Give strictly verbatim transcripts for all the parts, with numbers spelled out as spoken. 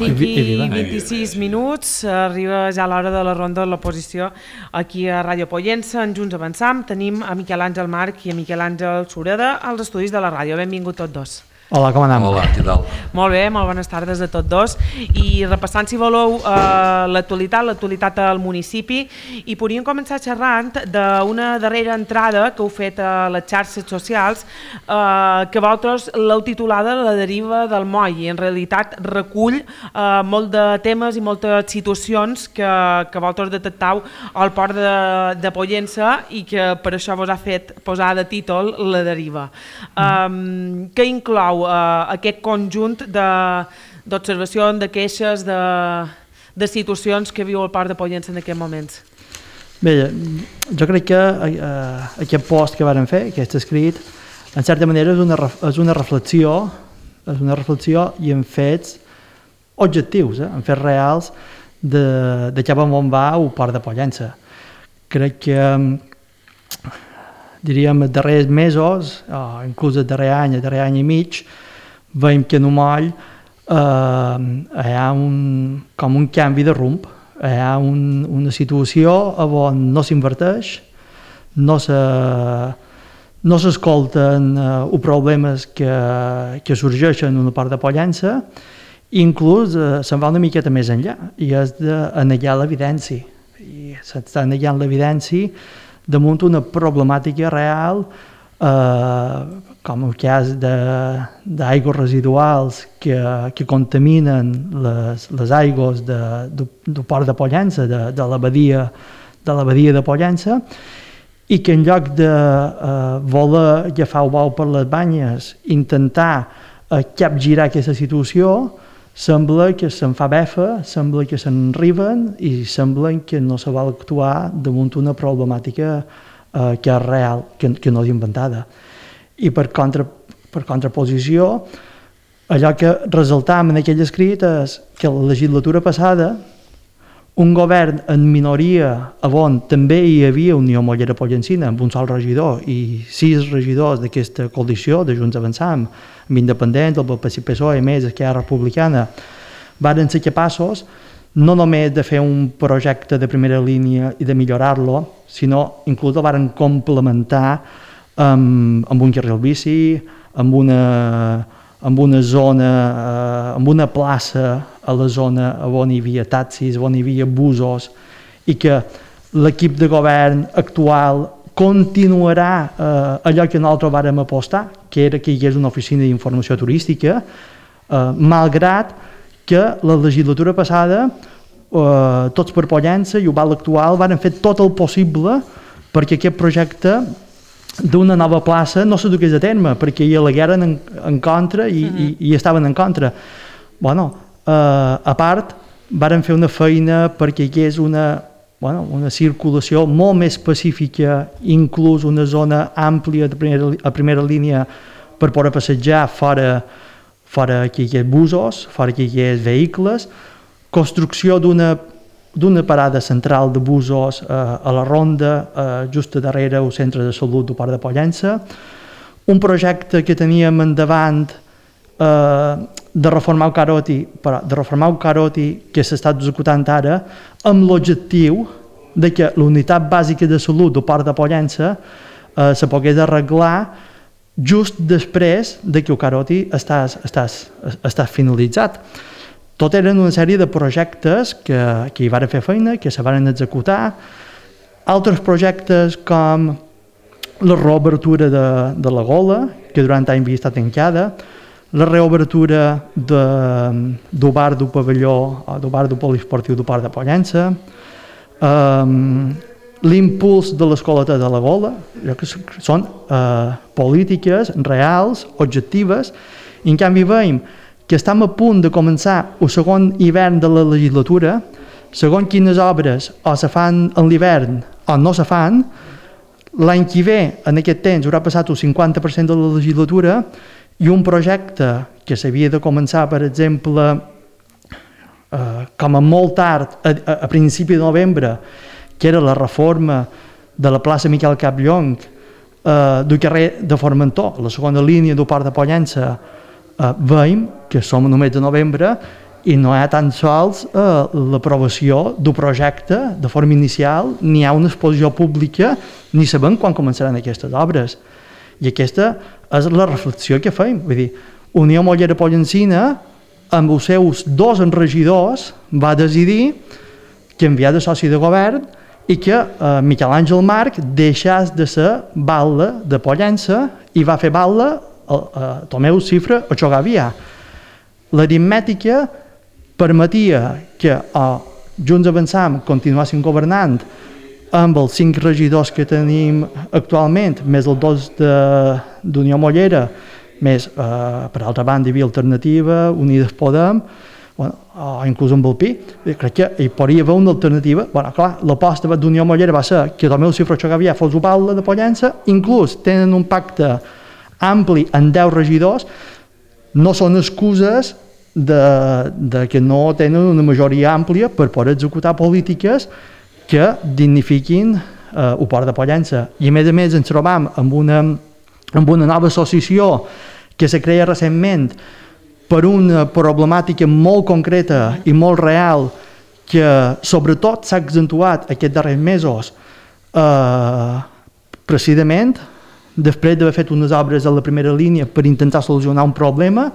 cinc i vint-i-sis minuts, arriba ja l'hora de la ronda de l'oposició aquí a Ràdio Pollença. En Junts Avançam tenim a Miquel Àngel March i a Miquel Àngel Sureda als estudis de la ràdio. Benvinguts tots dos. Hola, com anem? Hola, què tal? Molt bé, molt bones tardes a tots dos. I repassant, si voleu, eh, l'actualitat, l'actualitat al municipi, i podríem començar xerrant d'una darrera entrada que heu fet a les xarxes socials, eh, que vosaltres l'heu titulada La deriva del moll, i en realitat recull eh, molt de temes i moltes situacions que, que vosaltres detectau al port de, de Pollença i que per això vos ha fet posar de títol La deriva. Mm. Eh, què inclou Uh, aquest conjunt d'observacions, de, de queixes, de, de situacions que viu el Port de Pollença en aquests moments? Bé, jo crec que uh, aquest post que vàrem fer, aquest escrit, en certa manera és una, és una reflexió, és una reflexió i en fets objectius, eh, en fets reals de, de cap on va el Port de Pollença. Crec que diríem, els darrers mesos, o inclús el darrer any, el darrer any i mig, veiem que en el moll eh, hi ha un, com un canvi de rumb, hi ha un, una situació on no s'inverteix, no se, no s'escolten eh, els problemes que, que sorgeixen en una part de Pollença, i inclús eh, se'n va una miqueta més enllà, i és d'anegar l'evidència. I s'està negant l'evidència damunt una problemàtica real, eh, com el cas d'aigües residuals que, que contaminen les, les aigües de, de, del Port de Pollença, de, de la badia de la badia de Pollença, i que en lloc de eh, voler agafar el bou per les banyes, intentar eh, capgirar aquesta situació, sembla que se'n fa befa, sembla que se'n riben i sembla que no se vol actuar damunt una problemàtica eh, que és real, que, que no és inventada. I per, contra, per contraposició, allò que resaltam en aquell escrit és que la legislatura passada un govern en minoria on també hi havia Unió Mollera Pollencina amb un sol regidor i sis regidors d'aquesta coalició de Junts Avançam, amb independents, el P S O E, més Esquerra Republicana, varen ser capaços no només de fer un projecte de primera línia i de millorar-lo, sinó inclús el varen complementar amb, amb un carril bici, amb una, amb una zona, eh, amb una plaça a la zona on hi havia taxis, on hi havia busos, i que l'equip de govern actual continuarà eh, allò que nosaltres vàrem apostar, que era que hi hagués una oficina d'informació turística, eh, malgrat que la legislatura passada, eh, tots per Pollença i el Val actual varen fer tot el possible perquè aquest projecte d'una nova plaça no se dugués a terme, perquè hi alegueren en, en contra i, mm-hmm. i, i estaven en contra. Bueno, eh, a part, varen fer una feina perquè hi hagués una, bueno, una circulació molt més pacífica, inclús una zona àmplia de primera, a primera línia per poder passejar fora, fora que hi hagués busos, fora que hi hagués vehicles, construcció d'una d'una parada central de busos eh, a la Ronda, eh, just darrere el centre de salut del Port de Pollença, un projecte que teníem endavant eh, de reformar el Caroti, però de reformar el Caroti que s'està executant ara, amb l'objectiu de que la unitat bàsica de salut del Port de Pollença eh, se pogués arreglar just després de que el Caroti estàs, estàs, estàs finalitzat. Tot eren una sèrie de projectes que, que hi van fer feina, que se van executar, altres projectes com la reobertura de, de la Gola, que durant anys havia estat tancada, la reobertura de, del bar del pavelló, del bar del poliesportiu del Port de Pollença, um, l'impuls de l'escoleta de la Gola, que són uh, polítiques reals, objectives, i en canvi veiem que estem a punt de començar el segon hivern de la legislatura, segons quines obres o se fan en l'hivern o no se fan, l'any que ve, en aquest temps, haurà passat el cinquanta per cent de la legislatura i un projecte que s'havia de començar, per exemple, eh, com a molt tard, a, a, a principi de novembre, que era la reforma de la plaça Miquel Capllong, eh, del carrer de Formentor, la segona línia del Port de Pollença, eh, veiem que som només de novembre i no hi ha tan sols eh, l'aprovació d'un projecte de forma inicial, ni hi ha una exposició pública, ni sabem quan començaran aquestes obres. I aquesta és la reflexió que fem. Vull dir, Unió Mollera Pollencina, amb els seus dos regidors, va decidir canviar de soci de govern i que eh, Miquel Àngel Marc deixés de ser batlle de Pollença i va fer batlle a, a Tomeu Cifra o Xogavià. L'aritmètica permetia que o Junts Avançam continuessin governant amb els cinc regidors que tenim actualment, més els dos d'Unió Mollera, més, eh, per altra banda, hi havia Alternativa, Unides Podem, bueno, o inclús amb el Pi. Crec que hi podria haver una alternativa. Bueno, clar, l'aposta d'Unió Mollera va ser que Tomeu Cifra Xogavià fos batlle de Pollença, inclús tenen un pacte ampli en deu regidors, no són excuses de, de que no tenen una majoria àmplia per poder executar polítiques que dignifiquin eh, el port de Pollença. I a més a més ens trobam amb una, amb una nova associació que se crea recentment per una problemàtica molt concreta i molt real que sobretot s'ha accentuat aquests darrers mesos eh, precisament després d'haver fet unes obres a la primera línia per intentar solucionar un problema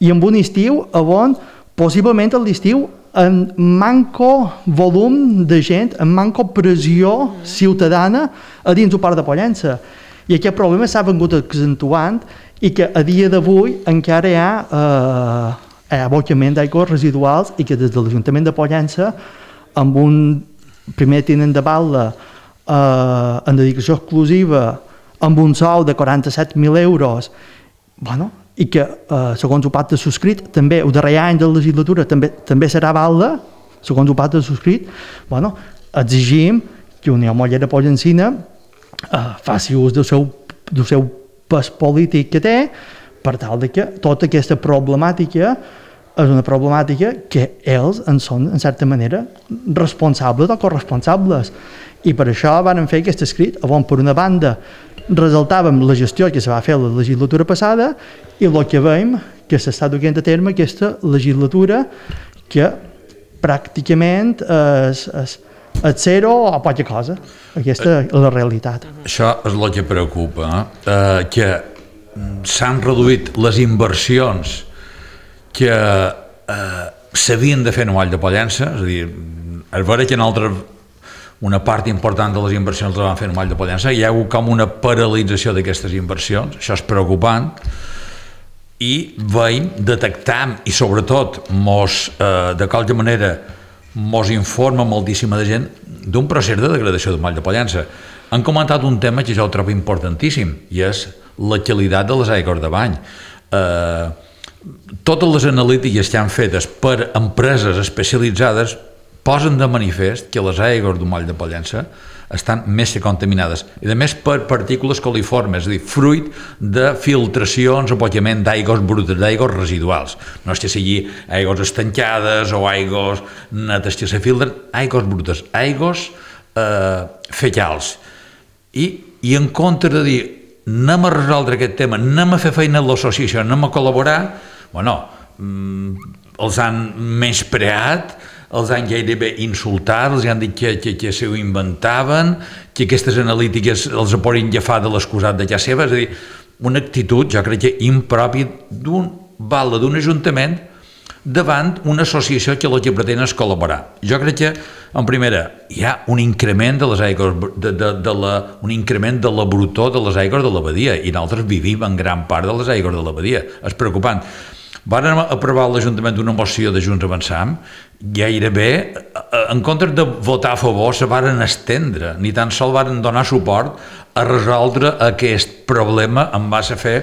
i amb un estiu on possiblement a l'estiu en manco volum de gent, en manco pressió ciutadana a dins del port de Pollença. I aquest problema s'ha vengut accentuant i que a dia d'avui encara hi ha eh, abocament d'aigües residuals i que des de l'Ajuntament de Pollença, amb un primer tinent de batlle eh, en dedicació exclusiva, amb un sou de quaranta-set mil euros, bueno, i que, eh, segons el pacte subscrit, també el darrer any de la legislatura també, també serà batlle, segons el pacte subscrit, bueno, exigim que Unió Mollera Pollencina eh, faci ús del seu, del seu pes polític que té, per tal de que tota aquesta problemàtica és una problemàtica que ells en són, en certa manera, responsables o corresponsables. I per això van fer aquest escrit, on per una banda resaltàvem la gestió que se va fer la legislatura passada i el que veiem que s'està duent a terme aquesta legislatura que pràcticament és, és, és zero o poca cosa. Aquesta és la realitat. Això és el que preocupa, eh? que s'han reduït les inversions que eh, s'havien de fer en Vall de Pollença, és a dir, és vera que en altres una part important de les inversions les van fer en Vall de Pollença, hi ha hagut com una paralització d'aquestes inversions, això és preocupant, i veiem, detectam, i sobretot mos, eh, de qualque manera mos informa moltíssima de gent d'un procés de degradació del Vall de Pollença. Han comentat un tema que jo ho trobo importantíssim, i és la qualitat de les aigües de bany. Eh, totes les analítiques que han fetes per empreses especialitzades posen de manifest que les aigües del Vall de Pollença estan més que contaminades, i a més per partícules coliformes, és a dir, fruit de filtracions o abocament d'aigües brutes, d'aigües residuals. No és que sigui aigües estancades o aigües netes que se filtren, aigües brutes, aigües eh, fecals. I, I en compte de dir anem a resoldre aquest tema, anem a fer feina a l'associació, anem a col·laborar, bueno, els han menyspreat, els han gairebé insultat, els han dit que, que, que s'ho inventaven, que aquestes analítiques els poden agafar de l'excusat de casa seva, és a dir, una actitud, jo crec que impròpia d'un batlle d'un ajuntament davant una associació que el que pretén és col·laborar. Jo crec que, en primera, hi ha un increment de les aigües, de, de, de la, un increment de la brutor de les aigües de la badia, i nosaltres vivim en gran part de les aigües de la badia. És preocupant. Varen aprovar a l'Ajuntament una moció de Junts Avançam, gairebé, en comptes de votar a favor, se varen estendre, ni tan sols varen donar suport a resoldre aquest problema en base a fer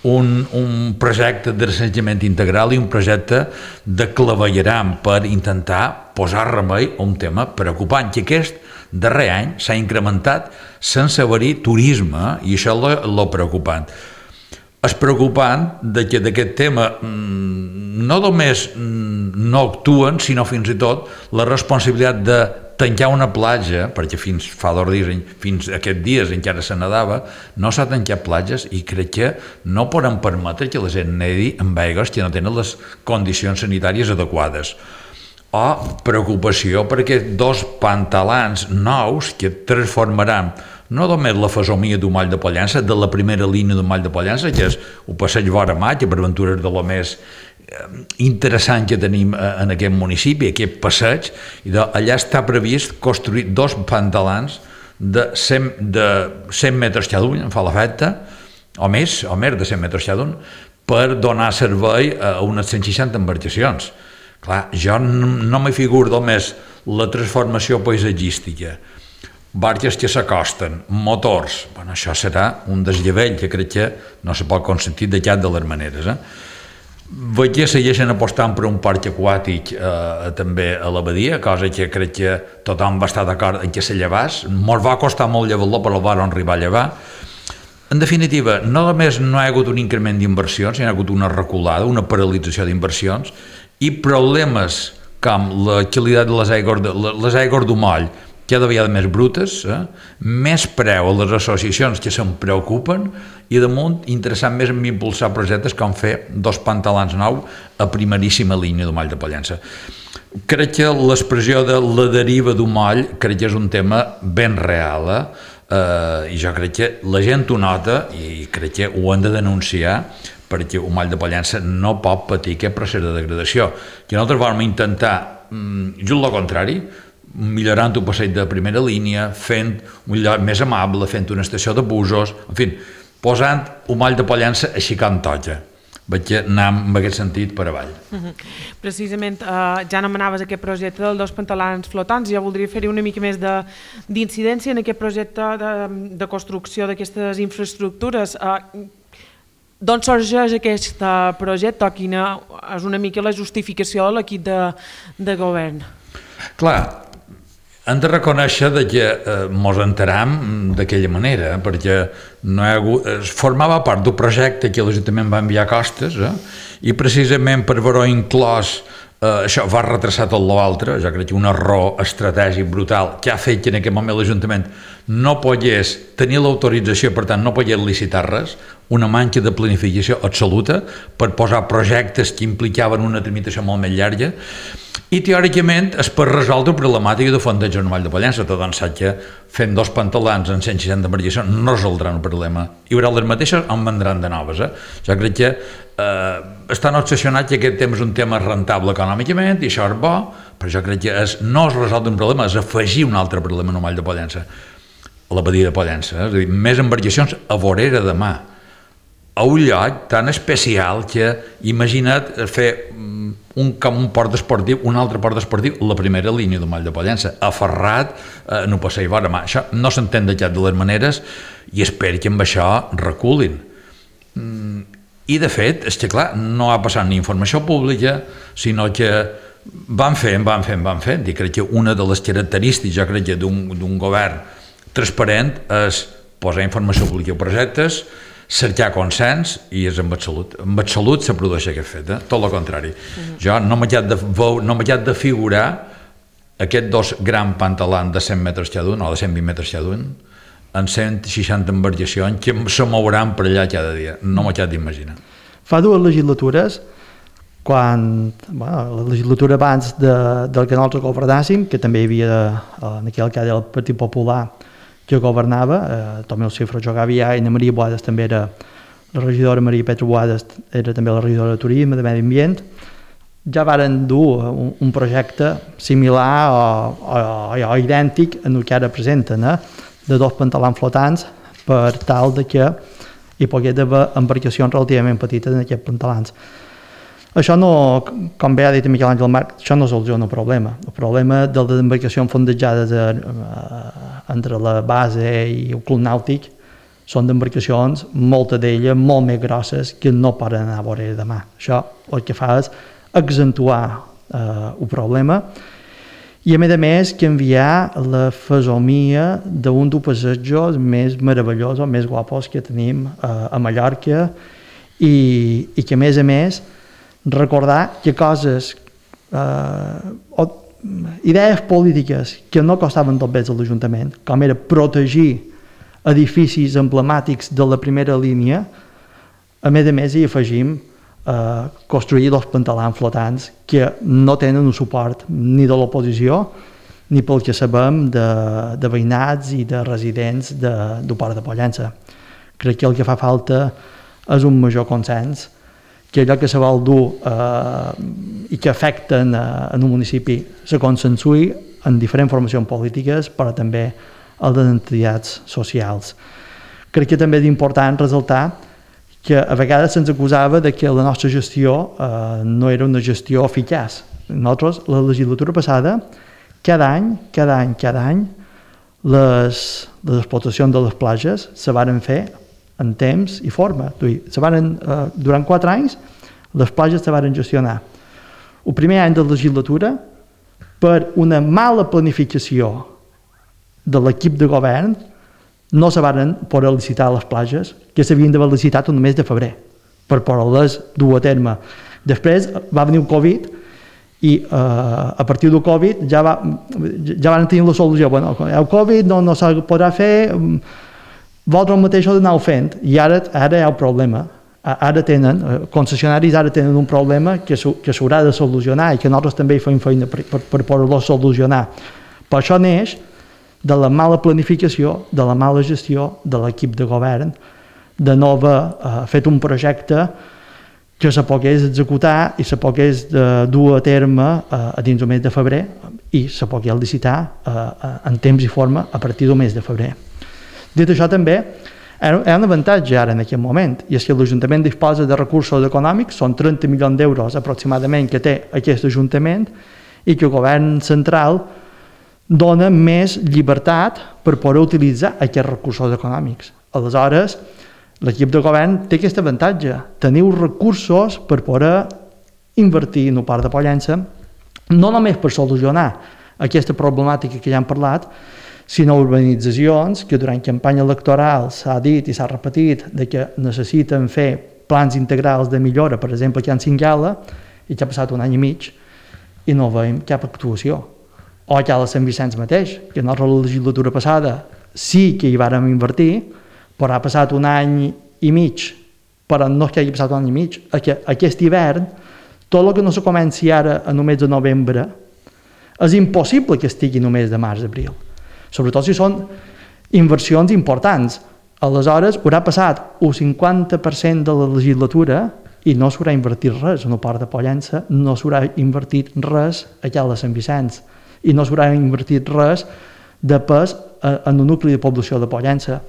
un, un projecte de recenjament integral i un projecte de clavegueram per intentar posar remei a un tema preocupant, que aquest darrer any s'ha incrementat sense haver-hi turisme, i això és el preocupant. És preocupant que d'aquest tema no només no actuen, sinó fins i tot la responsabilitat de tancar una platja, perquè fins fa dos dies, fins aquests dies encara se nedava, no s'ha tancat platges i crec que no poden permetre que la gent nedi amb aigües que no tenen les condicions sanitàries adequades. O preocupació perquè dos pantalans nous que transformaran no només la fesomia d'un Moll de Pollença, de la primera línia d'un Moll de Pollença, que és un passeig vora mar, que per aventura és de lo més interessant que tenim en aquest municipi, aquest passeig, i allà està previst construir dos pantalans de cent, de cent metres cada un, em fa l'efecte, o més, o més de cent metres cada un, per donar servei a unes cent seixanta embarcacions. Clar, jo no me figuro només la transformació paisatgística, barques que s'acosten, motors, bueno, això serà un desllevell que crec que no se pot consentir de cap de les maneres. Eh? Veig que segueixen apostant per un parc aquàtic eh, també a l'abadia, cosa que crec que tothom va estar d'acord en que se llevés. Ens va costar molt llevar-lo, però el van arribar a llevar. En definitiva, no només no hi ha hagut un increment d'inversions, hi ha hagut una reculada, una paralització d'inversions i problemes com la qualitat de les aigües, de, les aigües d'un moll, cada vegada més brutes, eh? Més preu a les associacions que se'n preocupen i damunt interessant més en impulsar projectes com fer dos pantalans nous a primeríssima línia del Moll de Pollença. Crec que l'expressió de la deriva d'un moll crec que és un tema ben real, eh? Uh, i jo crec que la gent ho nota i crec que ho han de denunciar perquè un Moll de Pollença no pot patir aquest procés de degradació. Que nosaltres vam intentar mm, just el contrari, millorant un passeig de primera línia, fent un lloc més amable, fent una estació de busos, en fi, posant un Moll de Pollença així com toca. Vaig que anar en aquest sentit per avall. Uh-huh. Precisament, uh, ja anomenaves aquest projecte dels dos pantalans flotants, ja voldria fer-hi una mica més d'incidència en aquest projecte de, de construcció d'aquestes infraestructures. Uh, D'on sorgeix aquest projecte o quina és una mica la justificació de l'equip de, de govern? Clar, hem de reconèixer que eh, mos enteram d'aquella manera, perquè no hi ha hagut, es formava part d'un projecte que l'Ajuntament va enviar a Costes, eh, i precisament per haver-ho inclòs eh, això va retrasar tot l'altre. Jo crec que un error estratègic brutal que ha fet que en aquest moment l'Ajuntament no pogués tenir l'autorització, per tant no pogués licitar res, una manca de planificació absoluta per posar projectes que implicaven una tramitació molt més llarga. I teòricament és per resoldre la problemàtica de fondeig al Moll de Pollença. Tothom sap que fent dos pantalans en cent seixanta embarcacions no resoldran el problema. Hi haurà les mateixes on vendran de noves. Eh? Jo crec que eh, estan obsessionats que aquest tema és un tema rentable econòmicament i això és bo, però jo crec que és, no és resoldre un problema, és afegir un altre problema al Moll de Pollença, a la badia de Pollença. Eh? És a dir, més embarcacions a vorera de mà, a un lloc tan especial que imagina't fer un, com un port esportiu, un altre port esportiu, la primera línia del Moll de Pollença, aferrat eh, en un passeig vora mà. Això no s'entén de cap de les maneres i espero que amb això reculin. Mm, I de fet, és que clar, no ha passat ni informació pública, sinó que van fent, van fent, van fent, i crec que una de les característiques, jo crec que d'un govern transparent és posar informació pública a projectes, cercar consens i és amb Salut. Amb Salut se produeix aquest fet, eh? Tot el contrari. Uh-huh. Jo no m'he de, no m'he de figurar aquests dos grans pantalans de cent metres cada un, o de cent vint metres cada un, en cent seixanta embarcacions que se mouran per allà cada dia. No m'he d'imaginar. Fa dues legislatures, quan bueno, la legislatura abans de, del que nosaltres governàssim, que també hi havia en aquell cas el Partit Popular que governava, eh, Tomeu Cifra jugava ja, i Maria Boades també era la regidora, Maria Petra Boades era també la regidora de Turisme, de Medi Ambient. Ja varen dur un, un projecte similar o, o, o idèntic en el que ara presenten, eh, de dos pantalans flotants per tal de que hi pogués haver embarcacions relativament petites en aquests pantalans. Això no, com bé ha dit Miquel Àngel Marc, això no soluciona el problema. El problema de les embarcacions fondejades entre la base i el club nàutic són d'embarcacions, moltes d'elles molt més grosses, que no poden anar a vora de mà. Això el que fa és accentuar eh, el problema i a més a més canviar la fesomia d'un dels passejos més meravellosos, més guapos que tenim eh, a Mallorca i, i que a més a més recordar que coses, eh, o idees polítiques que no costaven tot bé a l'Ajuntament, com era protegir edificis emblemàtics de la primera línia, a més a més hi afegim eh, construir dos pantalans flotants que no tenen un suport ni de l'oposició ni pel que sabem de, de veïnats i de residents de, del Port de Pollença. Crec que el que fa falta és un major consens, que allò que se vol dur eh, i que afecten eh, en un municipi se consensui en diferents formacions polítiques, però també a les entitats socials. Crec que també és important ressaltar que a vegades se'ns acusava de que la nostra gestió eh, no era una gestió eficaç. Nosaltres, la legislatura passada, cada any, cada any, cada any, les, les explotacions de les platges se varen fer en temps i forma. Se varen, eh, durant quatre anys, les platges se varen gestionar. El primer any de legislatura, per una mala planificació de l'equip de govern, no se varen poder licitar les platges, que s'havien d'haver licitat el mes de febrer, per poder-les dur a terme. Després va venir el Covid, i eh, a partir del Covid ja, va, ja van tenir la solució. Bueno, el Covid no, no se podrà fer, vosaltres mateix ho aneu fent, i ara, ara hi ha el problema. Ara tenen, concessionaris ara tenen un problema que s'haurà de solucionar i que nosaltres també hi fem feina per, per, per poder-lo solucionar. Per això neix de la mala planificació, de la mala gestió de l'equip de govern, de no haver eh, fet un projecte que se pogués executar i se pogués eh, dur a terme eh, a dins del mes de febrer i se pogués licitar eh, en temps i forma a partir del mes de febrer. Dit això també, hi ha un avantatge ara en aquest moment, i és que l'Ajuntament disposa de recursos econòmics, són trenta milions d'euros aproximadament que té aquest Ajuntament, i que el govern central dona més llibertat per poder utilitzar aquests recursos econòmics. Aleshores, l'equip de govern té aquest avantatge, teniu recursos per poder invertir en el Port de Pollença, no només per solucionar aquesta problemàtica que ja hem parlat, sinó urbanitzacions que durant campanya electoral s'ha dit i s'ha repetit de que necessiten fer plans integrals de millora, per exemple, aquí a Cingala, i que ha passat un any i mig i no veiem cap actuació. O aquí a Sant Vicenç mateix, que en la legislatura passada sí que hi vàrem invertir, però ha passat un any i mig, però no és que hagi passat un any i mig, aquest hivern, tot el que no se comenci ara en el mes de novembre, és impossible que estigui en el mes de març-abril. Sobretot si són inversions importants. Aleshores, haurà passat el cinquanta per cent de la legislatura i no s'haurà invertit res en el Port de Pollença, no s'haurà invertit res allà a Sant Vicenç i no s'haurà invertit res de pes en el nucli de població de Pollença.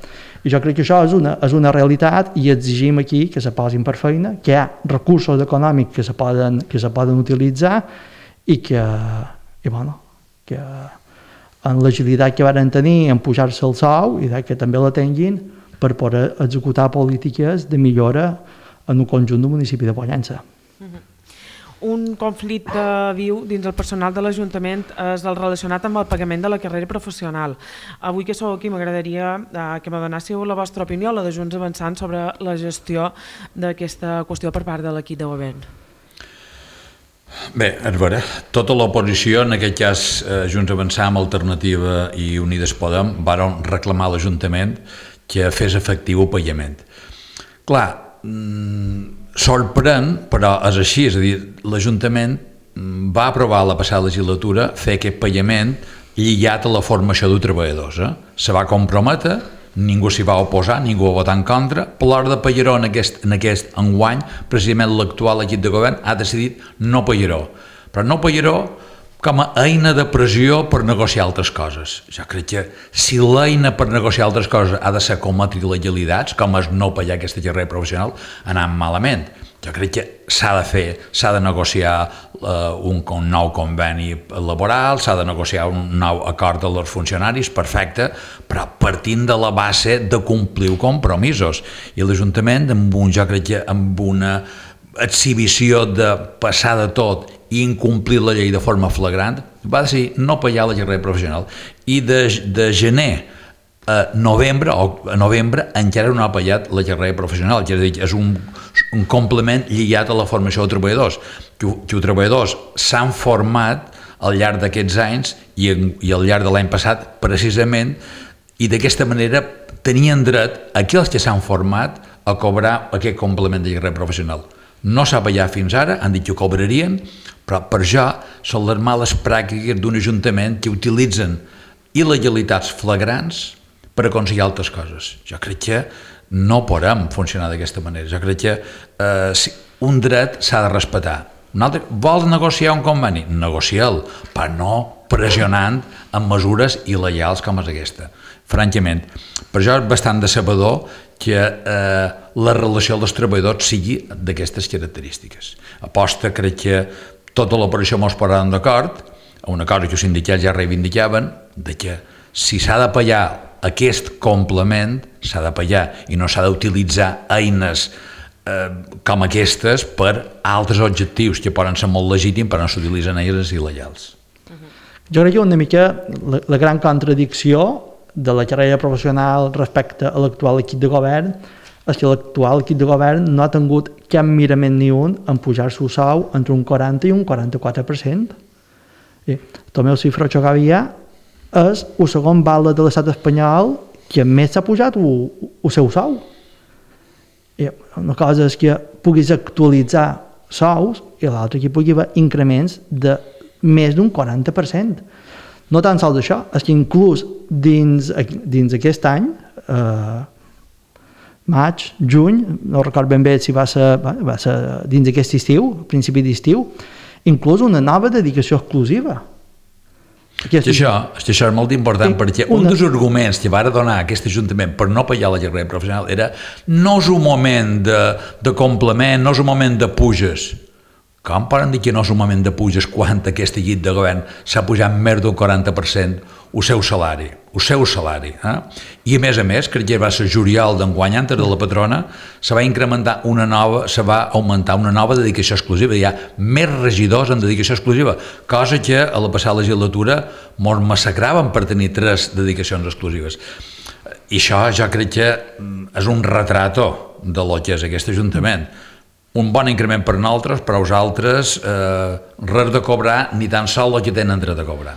I jo crec que això és una, és una realitat i exigim aquí que se posin per feina, que hi ha recursos econòmics que se poden, que se poden utilitzar i que, i bueno, que en l'agilitat que van tenir en pujar-se el sou i que també la tinguin per poder executar polítiques de millora en el conjunt del municipi de Pollença. Uh-huh. Un conflicte viu dins el personal de l'Ajuntament és el relacionat amb el pagament de la carrera professional. Avui que sou aquí m'agradaria eh, que me donéssiu la vostra opinió, la de Junts Avançant, sobre la gestió d'aquesta qüestió per part de l'equip de govern. Bé, a veure, tota l'oposició, en aquest cas eh, Junts Avançant, Alternativa i Unides Podem, varen reclamar a l'Ajuntament que fes efectiu el pagament. Clar, mmm, sorprèn, però és així, és a dir, l'Ajuntament va aprovar la passada legislatura fer aquest pagament lligat a la formació de treballadors. Eh? Se va comprometre, ningú s'hi va oposar, ningú va votar en contra, però a l'hora de pagar-ho en aquest, en aquest enguany, precisament l'actual equip de govern ha decidit no pagar-ho. Però no pagar-ho com a eina de pressió per negociar altres coses. Jo crec que si l'eina per negociar altres coses ha de ser cometre il·legalitats, com és no pagar aquesta carrera professional, anant malament. Jo crec que s'ha de fer, s'ha de negociar uh, un, un nou conveni laboral, s'ha de negociar un nou acord dels funcionaris, perfecte, però partint de la base de complir compromisos. I l'Ajuntament, amb un, jo crec que amb una exhibició de passar de tot i incomplir la llei de forma flagrant, va decidir no pagar la carrera professional. I de, de gener a novembre, o a novembre encara no ha pagat la carrera professional, que és un, un complement lligat a la formació de treballadors, que, que els treballadors s'han format al llarg d'aquests anys i, i al llarg de l'any passat, precisament, i d'aquesta manera tenien dret aquells que s'han format a cobrar aquest complement de carrera professional. No s'ha pagat fins ara, han dit que ho cobrarien, però per això són les males pràctiques d'un ajuntament que utilitzen il·legalitats flagrants per aconseguir altres coses. Jo crec que no podem funcionar d'aquesta manera. Jo crec que eh, si un dret s'ha de respectar. Un altre, vols negociar un conveni? Negocia'l, però no pressionant amb mesures il·legals com és aquesta. Francament, per això és bastant decebedor que eh, la relació dels treballadors sigui d'aquestes característiques. Aposta, crec que tota l'operació mos posarem d'acord, una cosa que els sindicats ja reivindicaven, de que si s'ha de pagar aquest complement, s'ha de pagar i no s'ha d'utilitzar eines eh, com aquestes per altres objectius que poden ser molt legítims però no s'utilitzen eines il·legals. Jo crec que una mica la, la gran contradicció de la carrera professional respecte a l'actual equip de govern és que l'actual equip de govern no ha tingut cap mirament ni un en pujar-se el sou entre un quaranta i un quaranta-quatre per cent. I també el xifra que havia és el segon val de l'estat espanyol que més s'ha pujat el, el seu sou. I una cosa és que puguis actualitzar sous i l'altra que pugui haver increments de més d'un quaranta per cent. No tan sols això, és que inclús dins, dins aquest any, eh, maig, juny, no recordo ben bé si va ser, va ser dins aquest estiu, principi d'estiu, inclús una nova dedicació exclusiva. Aquest... Això, això és molt important sí, perquè una... un dels arguments que va donar aquest Ajuntament per no pagar la carrera professional era no és un moment de, de complement, no és un moment de puges. Com poden dir que no és un moment de puges quan aquest equip de govern s'ha pujat més d'un quaranta per cent el seu salari, el seu salari. Eh? I a més a més, crec que va ser juliol d'enguany, antes de la patrona, se va incrementar una nova, se va augmentar una nova dedicació exclusiva. Hi ha més regidors en dedicació exclusiva, cosa que a la passada legislatura mos massacraven per tenir tres dedicacions exclusives. I això jo crec que és un retrato de lo que és aquest Ajuntament. Un bon increment per nosaltres, però els altres eh, res de cobrar ni tan sol el que tenen dret a cobrar.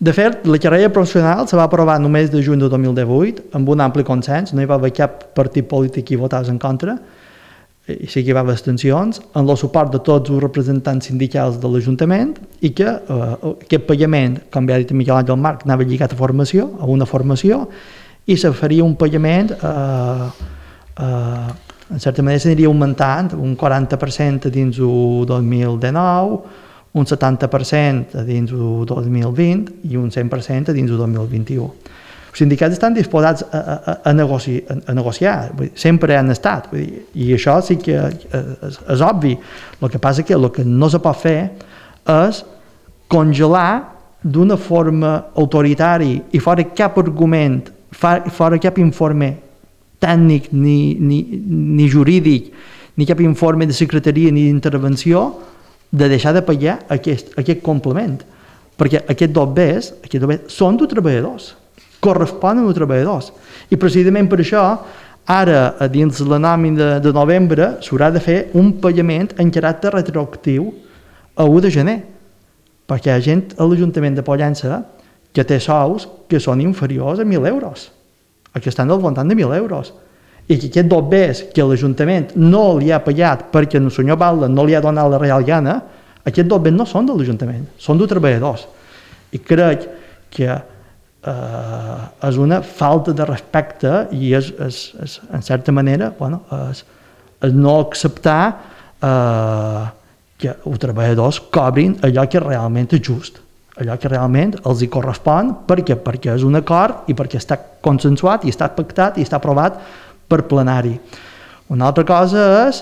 De fet, la carrera professional se va aprovar només de juny de dos mil divuit amb un ampli consens, no hi va haver cap partit polític que votés en contra, i sí que hi va haver abstencions, amb el suport de tots els representants sindicals de l'Ajuntament i que eh, aquest pagament, com ja ha dit Miquel Àngel Marc, anava lligat a formació, a una formació, i se faria un pagament eh, eh, en certa manera s'aniria augmentant un quaranta per cent dins el dos mil dinou, un setanta per cent dins el dos mil vint i un cent per cent dins el dos mil vint-i-u. Els sindicats estan disposats a, a, a, negoci, a, a negociar, vull dir, sempre han estat, vull dir, i això sí que és, és obvi. El que passa que el que no se pot fer és congelar d'una forma autoritària i fora cap argument, fora cap informe tècnic, ni, ni, ni jurídic, ni cap informe de secretaria ni d'intervenció, de deixar de pagar aquest, aquest complement. Perquè aquests dos bés, aquests dos bés són dels treballadors, corresponen als treballadors. I precisament per això, ara, dins la nòmina de, de novembre, s'haurà de fer un pagament en caràcter retroactiu a u de gener, perquè hi ha gent a l'Ajuntament de Pollença que té sous que són inferiors a mil euros. Que estan al voltant de mil euros, i que aquest dos bés que l'Ajuntament no li ha pagat perquè el senyor Balda no li ha donat la real gana, aquests dos bés no són de l'Ajuntament, són dels treballadors. I crec que eh, és una falta de respecte i és, és, és en certa manera, bueno, és, és no acceptar eh, que els treballadors cobrin allò que realment és just, allò que realment els hi correspon perquè, perquè és un acord i perquè està consensuat i està pactat i està aprovat per plenari. Una altra cosa és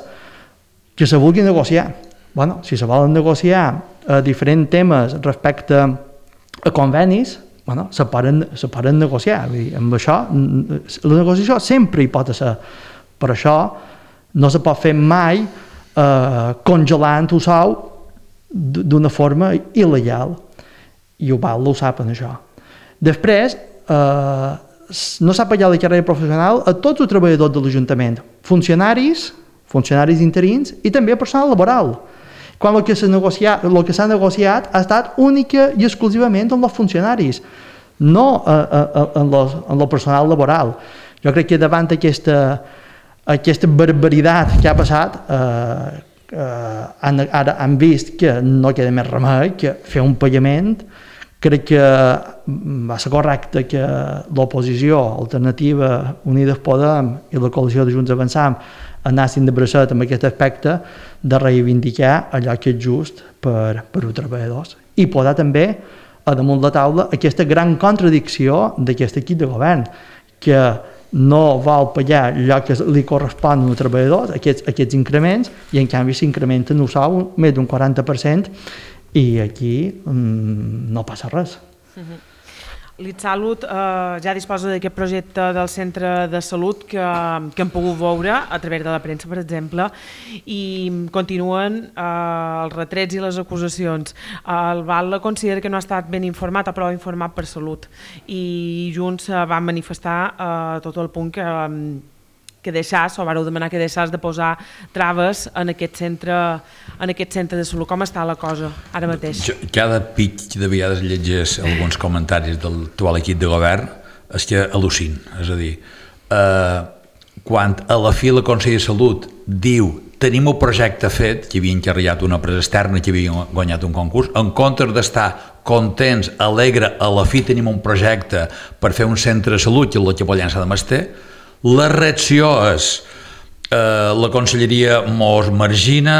que se vulgui negociar. Bueno, si se volen negociar eh, diferents temes respecte a convenis, bueno, se poden, se poden negociar. Vull dir, amb això, la negociació sempre hi pot ser. Per això no se pot fer mai eh, congelant el sou d'una forma il·legal. I ho val, ho saben, això. Després, eh, no s'ha pagat la carrera professional a tots els treballadors de l'Ajuntament, funcionaris, funcionaris interins i també personal laboral. quan el que s'ha negociat, el que s'ha negociat ha estat única i exclusivament amb els funcionaris, no en el personal laboral. Jo crec que davant aquesta, aquesta barbaritat que ha passat, eh, eh, han, ara han vist que no queda més remei que fer un pagament. Crec que va ser correcte que l'oposició, Alternativa, Unides Podem i la coalició de Junts Avançam anessin de bracet amb aquest aspecte de reivindicar allò que és just per, per als treballadors i posar també a damunt la taula aquesta gran contradicció d'aquest equip de govern, que no vol pagar allò que li correspon als treballadors, aquests, aquests increments, i en canvi s'incrementen el sou més d'un quaranta per cent i aquí mmm, no passa res. Uh-huh. L'Itsalut eh, ja disposa d'aquest projecte del centre de salut que, que hem pogut veure a través de la premsa, per exemple, i continuen eh, els retrets i les acusacions. El Val considera que no ha estat ben informat, ha prou informat per Salut, i Junts eh, van manifestar eh, tot el punt que, que deixàs, o vareu demanar que deixàs de posar traves en aquest centre, en aquest centre de salut. Com està la cosa ara mateix? Jo, cada pic de vegades llegeix alguns comentaris del actual equip de govern, és que al·lucin. És a dir, eh, quan a la fi la Consell de Salut diu tenim un projecte fet, que havien encarregat una empresa externa que havien guanyat un concurs, en comptes d'estar contents, alegre, a la fi tenim un projecte per fer un centre de salut, que és la que Pollença de Masté, la reacció és eh, la Conselleria mos margina,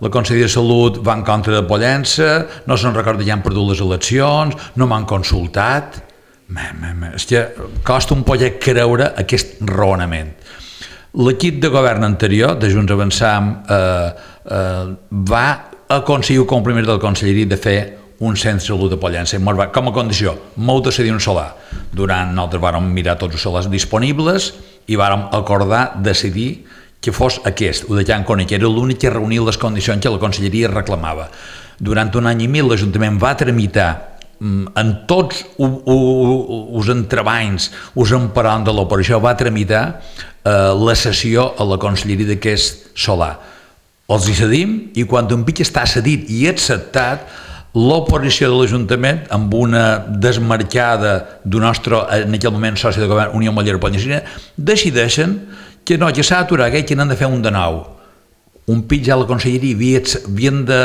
la Conselleria de Salut va en contra de Pollença, no se'n recorda que han perdut les eleccions, no m'han consultat. Me, me, me. És que costa un poder creure aquest raonament. L'equip de govern anterior, de Junts Avançam, eh, eh, va aconseguir el compromís de la Conselleria de fer un centre de salut de Pollença, com a condició, molt de cedir un solar. Durant nosaltres vàrem mirar tots els solars disponibles i vàrem acordar decidir que fos aquest, el de Can Coni, que era l'únic que reunia les condicions que la Conselleria reclamava. Durant un any i mil l'Ajuntament va tramitar en tots els entrebancs, els emparant de l'operació, va tramitar eh, la cessió a la Conselleria d'aquest solar. Els hi cedim i quan un pic està cedit i acceptat, l'oposició de l'Ajuntament, amb una desmarcada d'un nostre, en aquell moment, soci de govern, Unió Mollera Pollencina, decideixen que no, que s'ha d'aturar aquell que n'han de fer un de nou. Un pic ja la Conselleria havia, havien de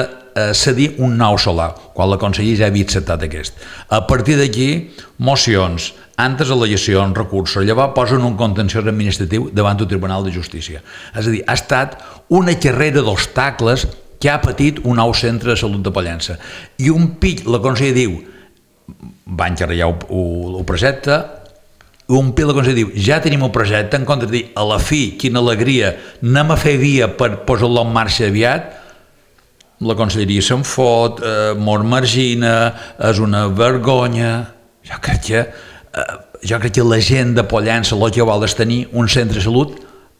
cedir un nou solar, quan la Conselleria ja havia acceptat aquest. A partir d'aquí, mocions, antes al·legacions, recursos, llavors posen un contenciós administratiu davant del Tribunal de Justícia. És a dir, ha estat una carrera d'obstacles que ha patit un nou centre de salut de Pollença. I un pic, la Conselleria diu, va encarregar el projecte, i un pic la Conselleria diu, ja tenim el projecte, en comptes de dir, a la fi, quina alegria, anem a fer via per posar-lo en marxa aviat, la Conselleria se'n fot, eh, mos margina, és una vergonya. Jo crec que, eh, jo crec que la gent de Pollença el que vol és tenir un centre de salut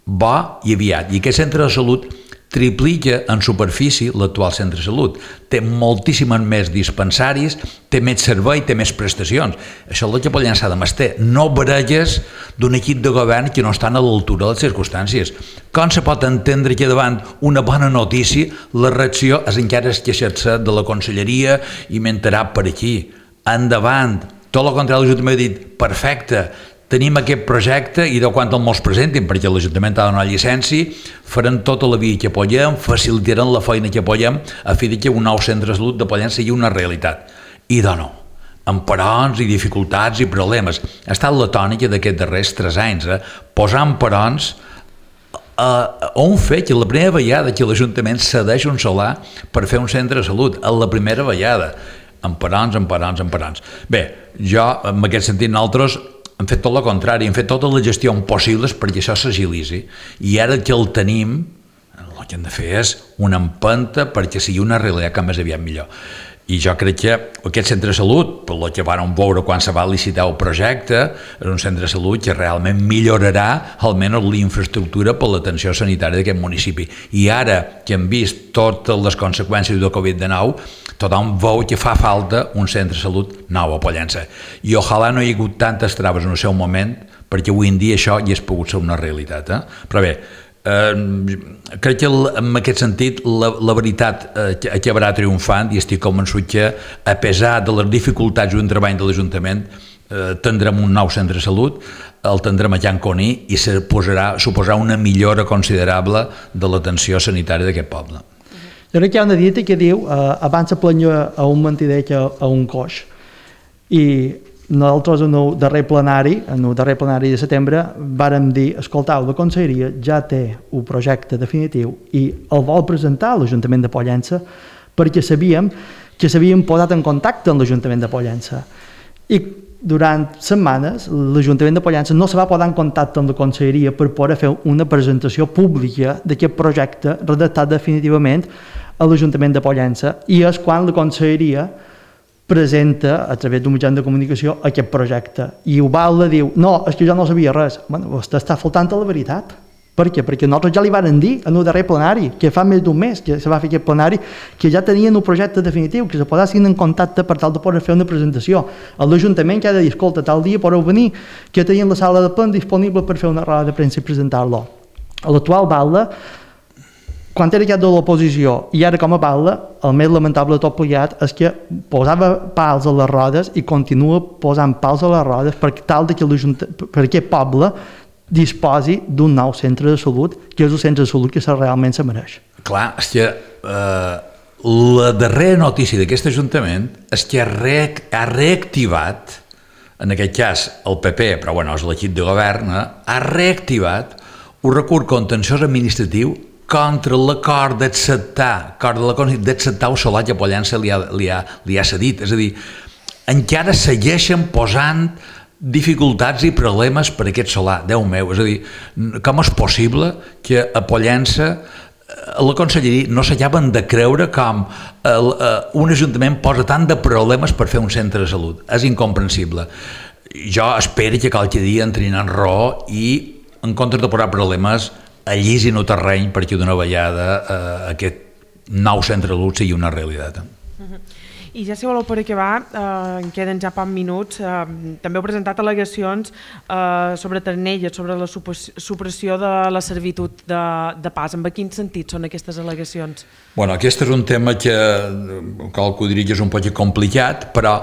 bo i aviat. I aquest centre de salut triplica en superfície l'actual centre de salut. Té moltíssimes més dispensaris, té més servei, té més prestacions. Això és el que Pollença de Masté. No baralles d'un equip de govern que no estan a l'altura de les circumstàncies. Com se pot entendre que davant una bona notícia la reacció és encara queixar-se de la Conselleria i m'enterà per aquí. Endavant. Tot el contrari, l'Ajuntament ha dit, perfecte, tenim aquest projecte i de quan el mos presentin, perquè l'Ajuntament ha de donar llicència, faran tota la via que apoyem, facilitaran la feina que apoyem a fi que un nou centre de salut de Pollença sigui una realitat. I de no, amb parons i dificultats i problemes. Ha estat la tònica d'aquests darrers tres anys, eh? Posar en parons a un fet que la primera vegada que l'Ajuntament cedeix un solar per fer un centre de salut, a la primera vegada, amb parons, amb parons, amb parons. Bé, jo, en aquest sentit, nosaltres hem fet tot el contrari, hem fet totes les gestions possibles perquè això s'agilitzi. I ara que el tenim, el que hem de fer és una empenta perquè sigui una realitat que més aviat millor. I jo crec que aquest centre de salut, per el que vam veure quan se va licitar el projecte, és un centre de salut que realment millorarà almenys l'infraestructura per l'atenció sanitària d'aquest municipi. I ara que hem vist totes les conseqüències del covid dinou, tothom veu que fa falta un centre de salut nou a Pollença. I ojalà no hi ha hagut tantes traves en el seu moment, perquè avui en dia això ja és pogut ser una realitat. Eh? Però bé, Eh, crec que en aquest sentit la, la veritat eh, acabarà triomfant i estic convençut que a pesar de les dificultats d'un treball de l'Ajuntament eh, tindrem un nou centre de salut, el tindrem a Can Coní i suposarà, suposarà una millora considerable de l'atenció sanitària d'aquest poble. Jo crec que hi ha una dita que diu eh, abans se plenya a un mentider que a un coix, i nosaltres en el darrer plenari, en el darrer plenari de setembre, vàrem dir, escoltau, la Conselleria ja té un projecte definitiu i el vol presentar a l'Ajuntament de Pollença perquè sabíem que s'havien posat en contacte amb l'Ajuntament de Pollença. I durant setmanes l'Ajuntament de Pollença no se va posar en contacte amb la Conselleria per poder fer una presentació pública d'aquest projecte redactat definitivament a l'Ajuntament de Pollença, i és quan la Conselleria presenta a través d'un mitjà de comunicació aquest projecte. I Ubalda diu, no, és que jo no sabia res. Bueno, vostè està faltant a la veritat. Per què? Perquè nosaltres ja li varen dir en el darrer plenari, que fa més d'un mes que se va fer aquest plenari, que ja tenien un projecte definitiu, que se posessin en contacte per tal de poder fer una presentació. A l'Ajuntament que ha de dir, escolta, tal dia podeu venir, que tenien la sala de ple disponible per fer una roda de premsa i presentar-lo. A l'actual Balda, quan era cap de l'oposició i ara com a Balda, el més lamentable de tot plegat és que posava pals a les rodes i continua posant pals a les rodes per tal de que per aquest poble disposi d'un nou centre de salut, que és el centre de salut que realment se mereix. Clar, és que eh, la darrera notícia d'aquest Ajuntament és que ha, re ha reactivat, en aquest cas el P P, però bueno, és l'equip de govern, eh, ha reactivat un recurs contenciós administratiu contra l'acord d'acceptar d'acceptar el solar que Pollença li ha, li, ha, li ha cedit. És a dir, encara segueixen posant dificultats i problemes per aquest solar. Déu meu, és a dir, com és possible que a Pollença a la Conselleria no s'acaben de creure com el, uh, un ajuntament posa tant de problemes per fer un centre de salut. És incomprensible. Jo espero que qualque dia entrin en raó i en comptes de posar problemes allisin el terreny perquè d'una vegada eh, aquest nou centre de salut sigui una realitat. Uh-huh. I ja si voleu per acabar, eh, en queden ja pocs minuts, eh, també heu presentat al·legacions eh, sobre Ternelles, sobre la supressió de la servitud de, de pas. En quin sentit són aquestes al·legacions? Bueno, aquest és un tema que cal que ho diria que és un poc complicat, però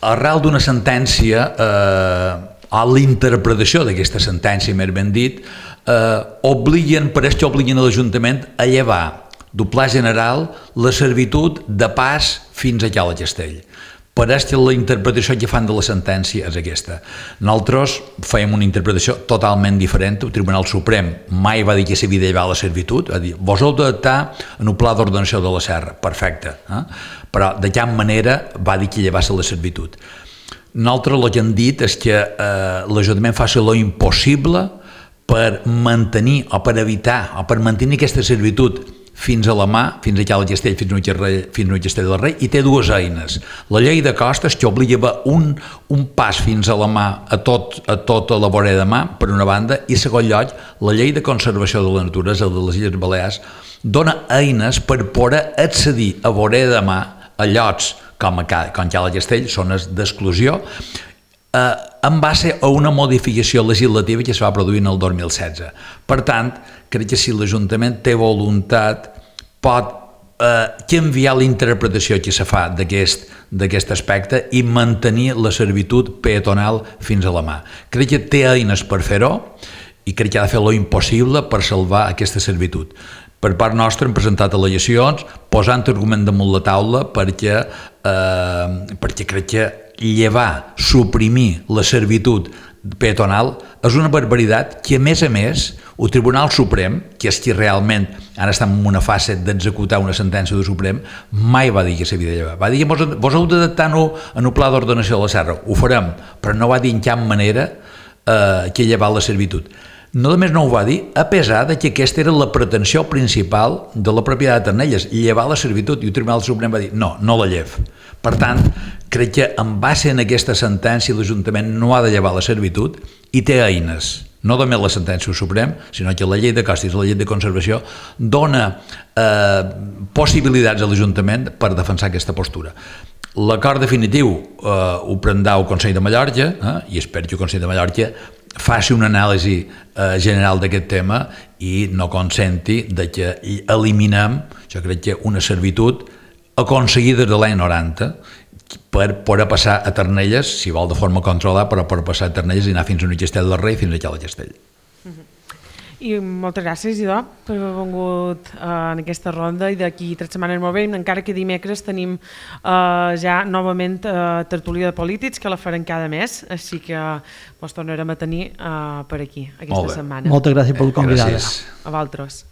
arrel d'una sentència, eh, a l'interpretació d'aquesta sentència, més ben dit, eh, obliguen, pareix que obliguen a l'Ajuntament a llevar del pla general la servitud de pas fins a Cala Castell. Pareix que la interpretació que fan de la sentència és aquesta. Nosaltres fèiem una interpretació totalment diferent. El Tribunal Suprem mai va dir que s'havia de llevar la servitud, va dir, vos heu d'adaptar en el pla d'ordenació de la serra, perfecte, eh? Però de cap manera va dir que llevassa la servitud. Nosaltres el que hem dit és que eh, l'Ajuntament faci lo impossible per mantenir o per evitar o per mantenir aquesta servitud fins a la mà, fins a Cala Castell, fins a Castell del Rei, i té dues eines. La llei de costes que obliga un, un pas fins a la mà a, tot, a tota la vorera de mà, per una banda, i segon lloc, la llei de conservació de la naturalesa de les Illes Balears dona eines per poder accedir a vorera de mà a llocs com, a, com Cala Castell, zones d'exclusió, eh, en base a una modificació legislativa que es va produir en el dos mil setze. Per tant, crec que si l'Ajuntament té voluntat pot eh, canviar la interpretació que se fa d'aquest aspecte i mantenir la servitud peatonal fins a la mà. Crec que té eines per fer-ho i crec que ha de fer lo impossible per salvar aquesta servitud. Per part nostra hem presentat al·legacions posant argument damunt la taula perquè, eh, perquè crec que llevar, suprimir la servitud peatonal és una barbaritat que, a més a més, el Tribunal Suprem, que és qui realment ara està en una fase d'executar una sentència del Suprem, mai va dir que s'havia de llevar. Va dir que vos, vos heu d'adaptar-ho en el pla d'ordenació de la serra. Ho farem, però no va dir en cap manera eh, que llevar la servitud. No només no ho va dir, a pesar de que aquesta era la pretensió principal de la propietat de Ternelles, llevar la servitud, i el Tribunal Suprem va dir no, no la llev. Per tant, crec que en base en aquesta sentència l'Ajuntament no ha de llevar la servitud i té eines, no només la sentència del Suprem, sinó que la llei de costes i la llei de conservació dona eh, possibilitats a l'Ajuntament per defensar aquesta postura. L'acord definitiu eh, ho prendrà el Consell de Mallorca, eh, i espero que el Consell de Mallorca faci una anàlisi eh, general d'aquest tema i no consenti de que eliminem, jo crec que una servitud aconseguida de l'any noranta per poder passar a Ternelles, si vol de forma controlada, però per passar a Ternelles i anar fins a un Castell del Rei, fins a Cal Castell. I moltes gràcies, Idò, per haver vingut uh, en aquesta ronda i d'aquí tres setmanes molt bé, encara que dimecres tenim uh, ja novament uh, tertúlia de polítics que la farem cada mes, així que ens tornarem a tenir uh, per aquí aquesta setmana. Moltes gràcies per convidar. Gràcies. A vosaltres.